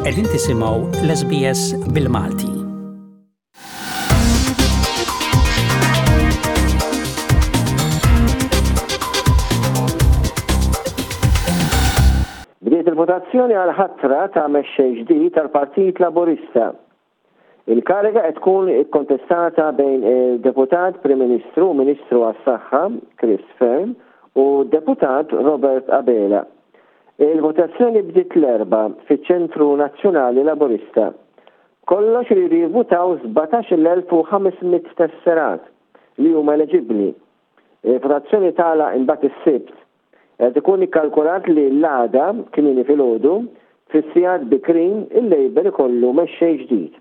Qegħdin tisimgħu l-SBS bil-Malti. Bdiet il-votazzjoni għal ħatra ta' mexxej ġdid tal-Partit Laburista. Il-kariga qed tkun ikkontestata bejn il-Deputat Prim Ministru u Ministru għas-Saħħa, Chris Fearne, u d-Deputat Robert Abela. Il-votazzjoni bdiet l-Erbgħa fiċ-Ċentru Nazzjonali Laburista. B'kollox iridu jivvutaw 17,500 tesserat li huma eleġibbli. Il-votazzjoni tagħlaq imbagħad is-Sibt. Qed ikun ikkalkulat li l-għada, kmieni filgħodu, fis-sigħat bikrin, il-Labour ikollu mexxej ġdid.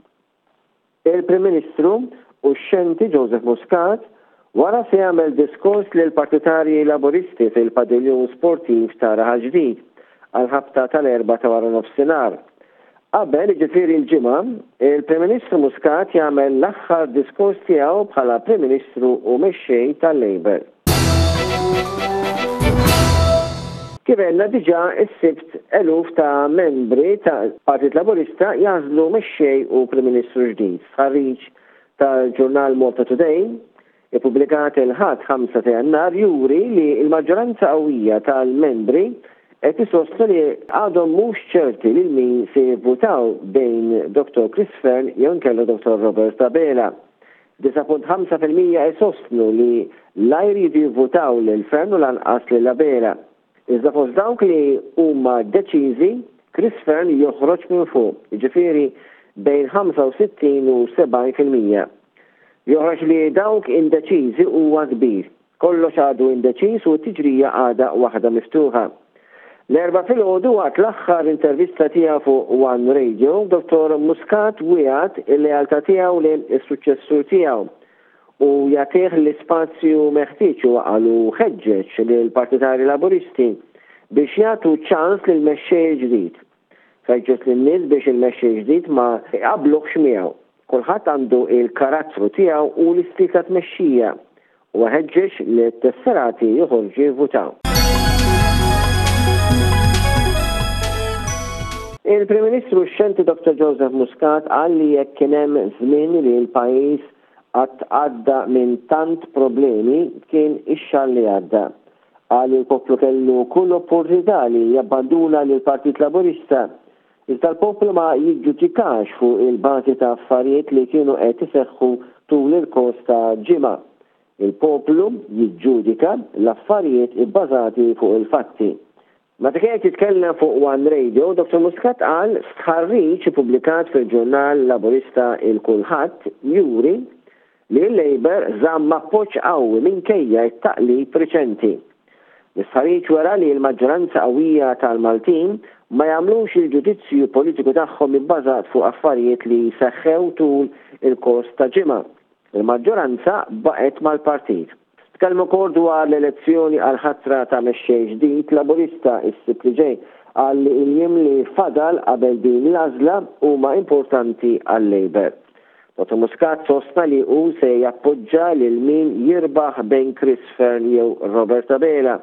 Il-Prim Ministru uxxenti Joseph Muscat wara se jagħmel diskors lill-partitarji Laburisti fil-Padiljun Sportiv ta' Raħal Ġdid għall-ħabta tal-erbgħa ta' waranofsinhar. Qabel, jiġifieri l-Ġimgħa, il-Prim Ministru Muscat jagħmel l-aħħar diskors tiegħu bħala Prim Ministru u Mexxej tal-Labour. Kif għedna diġà, is-Sibt eluf ta' membri tal-Partit Laburista jagħżlu Mexxej u Prim Ministru ġdid. Stħarriġ tal-ġurnal Malta Today ippubblikat il-Ħadd 5 ta' Jannar juri li l-maġġoranza qawwija tal-membri qed isostnu li għadhom mhux ċerti lil min se jivvutaw bejn Dottor Chris Fearne jew inkella Dottor Robert Abela. 9.5% isostnu li la jridu jivvutaw lil Fearne u lanqas lil Abela. Iżda fost dawk li huma deċiżi, Chris Fearne joħroġ minn fuq, jiġifieri bejn 65 u 70%. Joħroġ li dawk indeċiżi huwa kbir. Kollox għadu indeċiż u t-tiġrija għadha waħda miftuħa. L-Erbgħa filgħodu waqt l-aħħar intervista tiegħu fuq One Radio, Dottor Muscat wiegħed il-lealtà tiegħu lejn is-suċċessur tiegħu u jagħtih l-ispazju meħtieġ huwa qal u ħeġġeġ lill-partitarji Laburisti biex jagħtu ċans lill-mexxej il-ġdid. Ħeġġeġ lin-nies biex il-mexxej ġdid ma jqabbluhx miegħu. Kulħadd għandu l-karattru tiegħu u l-istil ta' tmexxija. Huwa ħeġġeġ lit-tesserati joħorġu jivvutaw. Il-Prim Ministru xxenti Dottor Joseph Muscat qal li jekk kien hemm żmien li l-pajjiż qatt għadda minn tant problemi kien ix-xahar li għadda. Qal li l-poplu kellu kull opportunità li jabbanduna lill-Partit Laburista, iżda l-poplu ma jiġġudikax fuq il-bażi ta' affarijiet li kienu qed iseħħu tul il-kors ta' ġimgħa. Il-poplu jiġġudika l-affarijiet ibbażati fuq il-fatti. Meta kien qed jitkellem fuq One Radio, Dottor Muscat qal stħarriġ ippubblikat fil-ġurnal Laburista Il-Kulħadd juri li l-Labour żamm appoġġ qawwi minkejja t-taqlib riċenti. L-istħarriġ wera li l-maġġoranza qawwija tal-Maltin ma jagħmlux il-ġudizzju politiku tagħhom ibbażat fuq affarijiet li seħħew tul il-kors ta' ġimgħa. Il-maġġoranza baqgħet mal-partit. Tkellem ukoll dwar l-elezzjoni għall-ħatra ta' mexxej ġdid Laburista s-Sibt li ġej. Qal li l-jiem li fadal qabel din l-għażla huma importanti għal-Labour. Dottor Muscat sostna li hu se jappoġġa lil min jirbaħ bejn Chris Fearne jew Robert Abela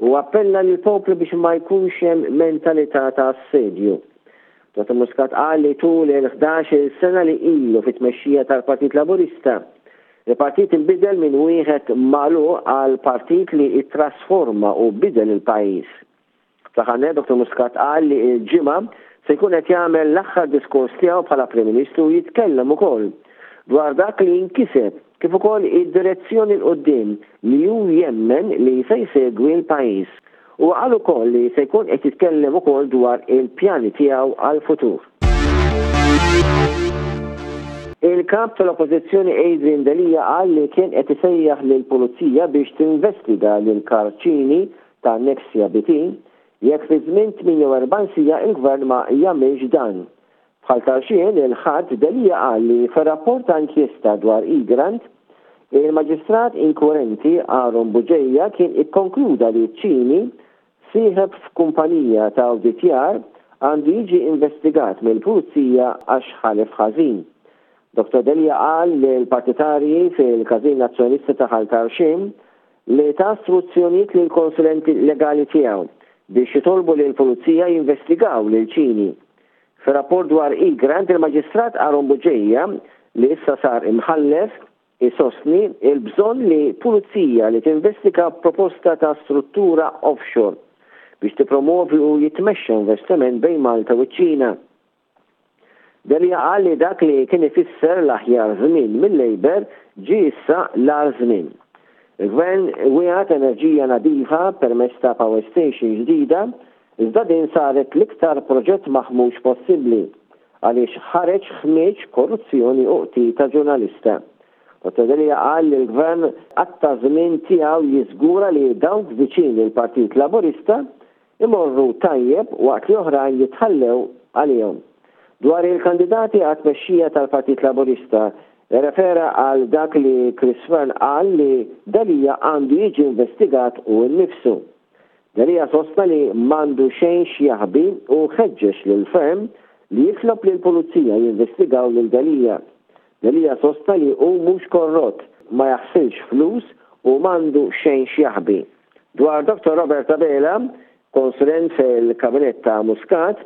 u appella lill-poplu biex ma jkunx hemm mentalità ta' assedju. Dottor Muscat qal li tul il-ħdax-il sena li ilu fit-tmexxija tal-Partit Laburista, il-partit inbidel minn wieħed magħluq għal partit li ttrasforma u bidel il-pajjiż. Fl-aħħar nett Dottor Muscat qal li l-Ġimgħa se jkun qed jagħmel l-aħħar diskors tiegħu bħala Prim Ministru u jitkellem ukoll dwar dak li nkiseb kif ukoll id-direzzjoni 'l quddiem li hu jemmen li se jsegwi l-pajjiż. Huwa qal ukoll li se jkun qed jitkellem ukoll dwar il-pjani tiegħu għall-futur. Il-Kap tal-Oppożizzjoni Adrian Delia qal li kien qed isejjaħ lill-Pulizija biex tinvestiga lil Karl Cini ta' Nexia BT jekk fi żmien 48 siegħa il-Gvern ma jagħmilx dan. Bħal Tarxien, il-Ħadd, Delia qal li fir-rapport ta' inkjesta dwar Egrant, il-Maġistrat inkwirenti Aaron Bugeja kien ikkonkluda li Cini, sieħeb f'kumpanija ta' awditjar, għandu jiġi investigat mill-Pulizija għax ħalef ħażin. Dottor Delia qal lill-partitarji fil-Każin Nazzjonalista ta' Ħal Tarxien li ta struzzjonijiet lill-konsulenti legali tiegħu biex jitolbu lill-Pulizija jinvestigaw lil Cini. Fir-rapport dwar Egrant, il-Maġistrat Aaron Bugeja, li issa sar Imħallef, isostni l-bżonn li pulizija li tinvestiga proposta ta' struttura offshore biex tippromwovi u jitmexxa investiment bejn Malta u ċ-Ċina. Delia qal li dak li kien ifisser l-aħjar żmien mil-Labour ġie issa l-agħar żmien. Il-Gvern wiegħed enerġija nadifa permezz ta' power station ġdida, iżda din saret l-iktar proġett maħmuġ possibbli għaliex ħareġ ħmieġ, korruzzjoni u qtil ta' ġurnalista. Dottor Delia qal li l-Gvern qatta' żmien tiegħu jiżgura li dawk viċin il-Partit Laburista imorru tajjeb waqt li oħrajn jitħallew għalihom. Dwar il-kandidati għat-tmexxija tal-Partit Laburista, irrefera għal dak li Chris Fearne qal li Delia għandu jiġi investigat hu nnifsu. Delia sostna li m'għandu xejn x'jaħbi u ħeġġeġ lil Fearne li jitlob lill-Pulizija jinvestigaw lil Delia. Delia sostna li hu mhux korrott, ma jaħsilx flus u m'għandu xejn x'jaħbi. Dwar Dottor Robert Abela, konsulent fil-Kabinett ta' Muscat,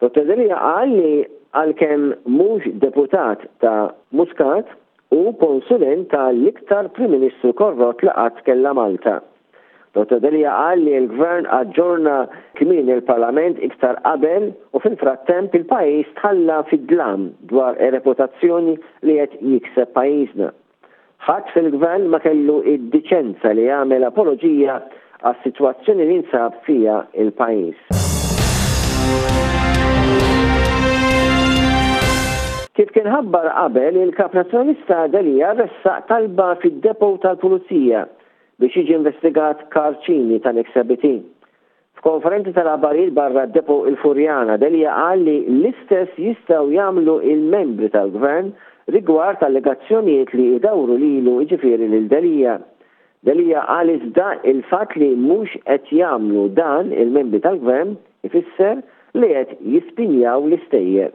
Dottor Delia qal li għalkemm mhux deputat ta' Muscat, hu konsulent ta' l-iktar Prim Ministru korrott li qatt kellha Malta. Dottor Delia qal li l-Gvern aġġorna kmieni l-Parlament iktar qabel u fil-frattemp il-pajjiż tħalla fid-dlam dwar ir-reputazzjoni li qed jikseb pajjiżna. Ħadd fil-Gvern ma kellu d-diċenza li jagħmel apoloġija għas-sitwazzjoni li jinsab fiha l-pajjiż. Kif kien ħabbar qabel, il-Kap Nazzjonalista Delia ressaq talba fid-depot tal-Pulizija biex jiġi investigat Karl Cini tal-Exhibit. F'konferenza tal-aħbarijiet barra d-Depot il-Furjana, Delia qal li l-istess jistgħu jagħmlu il-membri tal-Gvern rigward allegazzjonijiet li idawru lilu jiġifieri lil Delia. Delia qal iżda il-fatt li mhux qed jagħmlu dan il-membri tal-Gvern ifisser li qed jispinjaw l-istejjer.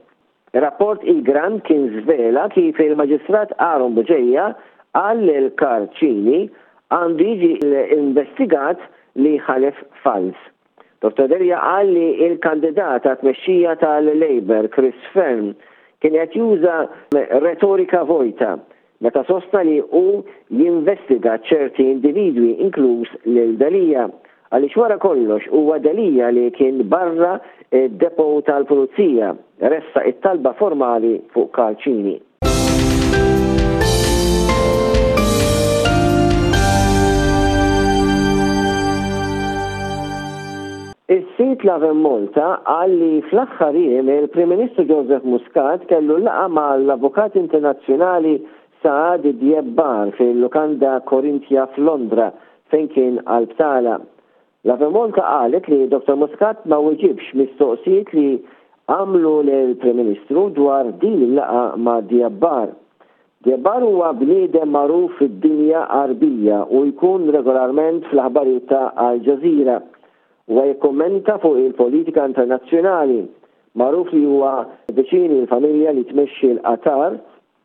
Ir-rapport Egrant kien żvela kif il-Maġistrat Aaron Bugeja qal lil Karl Cini għandu jiġi investigat li ħalef falz. Dottor Delia qal li l-kandidat għat-tmexxija tal-Labour Chris Fearne kien qed juża retorika vojta meta sostna li hu jinvestiga ċerti individwi inkluż lil Delia, għaliex wara kollox huwa Delia li kien barra d-depot tal-Pulizija ressaq it-talba formali fuq Karl Cini. Is-sit Lovin Malta qal li fl-aħħar jiem il-Prim Ministru Joseph Muscat kellu laqgħa mal-avukat internazzjonali Saad Djebbar fil-lukanda Corinthia f'Londra fejn kien għal btala. Lovin Malta qalet li Dottor Muscat ma weġibx mistoqsijiet li għamlu lill-Prim Ministru dwar din il-laqgħa ma' Djebbar. Djebbar huwa bniedem magħruf fid-dinja Għarbija u jkun regolarment fl-aħbarijiet ta' Al Jazeera. Huwa jikkummenta fuq il-politika internazzjonali. Magħruf li huwa viċin il-familja li tmexxi l-Qatar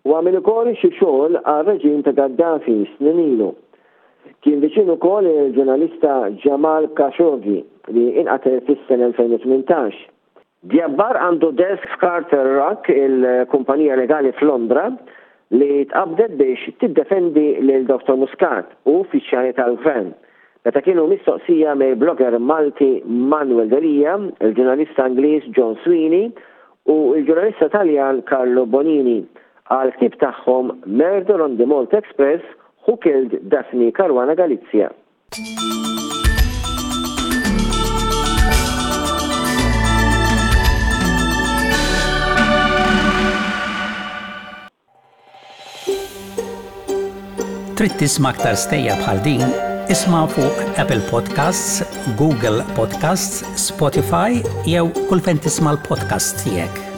u għamel ukoll xi xogħol għar-reġim ta' Gaddafi snin ilu. Kien viċin ukoll il-ġurnalista Jamal Khashoggi li inqatel fis-sena 2018. Djabbar għandu desk f'Carter Ruck, il-kumpanija legali f'Londra li tqabbdet biex tiddefendi lil Dottor Muscat u uffiċjali tal-Gvern, meta kienu mistoqsija mill-blogger Malti Manuel Delia, il-ġurnalista Ingliż John Sweeney u l-ġurnalista Taljan Carlo Bonini għall-ktieb tagħhom Murder on the Malta Express, Who Killed Daphne Caruana Galizia? Trid tisma' aktar stejjer bħal din? Isma' fuq Apple Podcasts, Google Podcasts, Spotify jew kull fejn tisma' l-podcasts tiegħek.